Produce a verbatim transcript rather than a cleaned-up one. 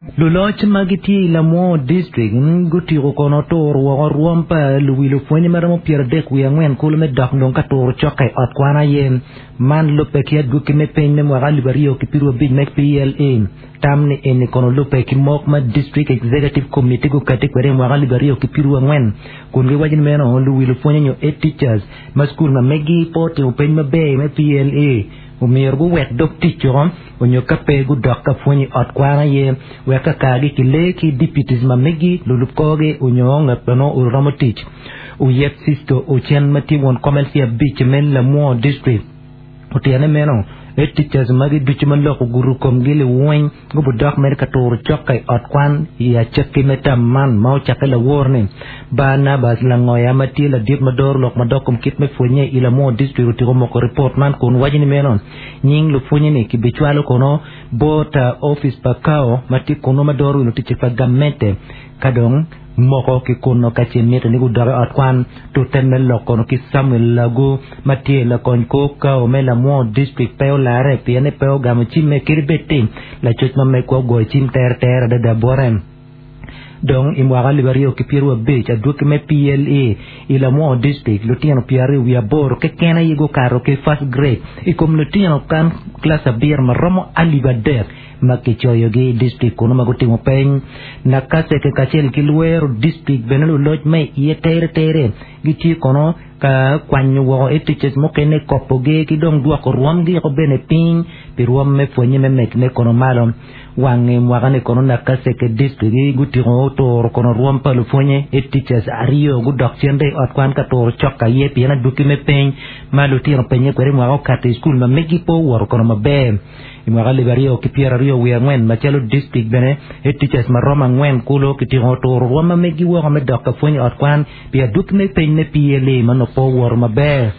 Luloc ma gitye i Lamwo District gutiko kono turo woko rwom pa luwi lupwonye ma romo pyera adek wiye angwen kulu me dok dong ka turo cokke i ot kwan aye man lubbe ki adwogi me piny me mwaka alip aryo ki piero abic me P L E. Tam ni eni kono lubbe ki mok ma District Executive Committee gukati kwede i mwaka alip aryo ki piero angwen kun giwaco ni meno luwi lupwonye nyo head teachers ma skul ma megi pe otimo peny maber me P L E omyero guwek dog tic oko onyo ka pe gudok ka pwony i ot kwan aye wek ka kargi kilee ki deputies ma megi lulub korgi onyo ngat ma nongo oromo tic. Oyet Sisto Ocen ma tye won kom L C abic me Lamwo District otyene meno head teachers magi ducu ma lok ogudo komgi liweny gubudok mere ka turo cokke i ot kwan i acakki me tam man ma ocakke lawor-ni. Barnabas Langoya ma tye ladit ma doro lok madok kom kit me pwonye i Lamwo District otiko moko ripot man kun waco ni meno nying lupwonye-ni kibicwalo kono bot office pa C A O ma tye kuno ma doro wi lutic pa gamente ka dong moko ki kuno ka ce mitte ni gudok i ot kwan. Tute me lok kono ki Samuel Lagu ma tye lakony kor C A O me Lamwo District pe olare pien ni pe ogamo cimme kadi bed ti lacoc ma megwa ogoyo cim terter adada bote. Dong i mwaka alip aryo ki piero abic adwogi me P L E i Lamwo District lutino pyera aryo wiye aboro keken aye gukato ki first grade i kom lutino kan kilac abiro ma romo alip adek ma kicoyogi i district kuno ma gutimo peny. Nakaseke kacel ki Luwero District bene luloc ma iye tere tere gitye kono ka kwanyo woko head teachers mukene kopogi ki dong dwoko rwomgi oko bene piny pi rwom me pwonye me medone kono malo. Wang mwaka ni kono Nakaseke District gutiko turo kono rwom pa lupwonye head teachers aryo gudok cen i ot kwan ka turo cok aye pien adwogi me peny ma lutino penye kwede mwaka okato i skul ma megi pe owoto kono maber. I mwaka alip aryo ki pyera aryo wiye angwen macalo district bene head teachers ma romo angwen kulo kitiko turo rwom ma megi woko me dok ka pwony i ot kwan pi adwogi me peny me P L E ma nongo pe owoto maber.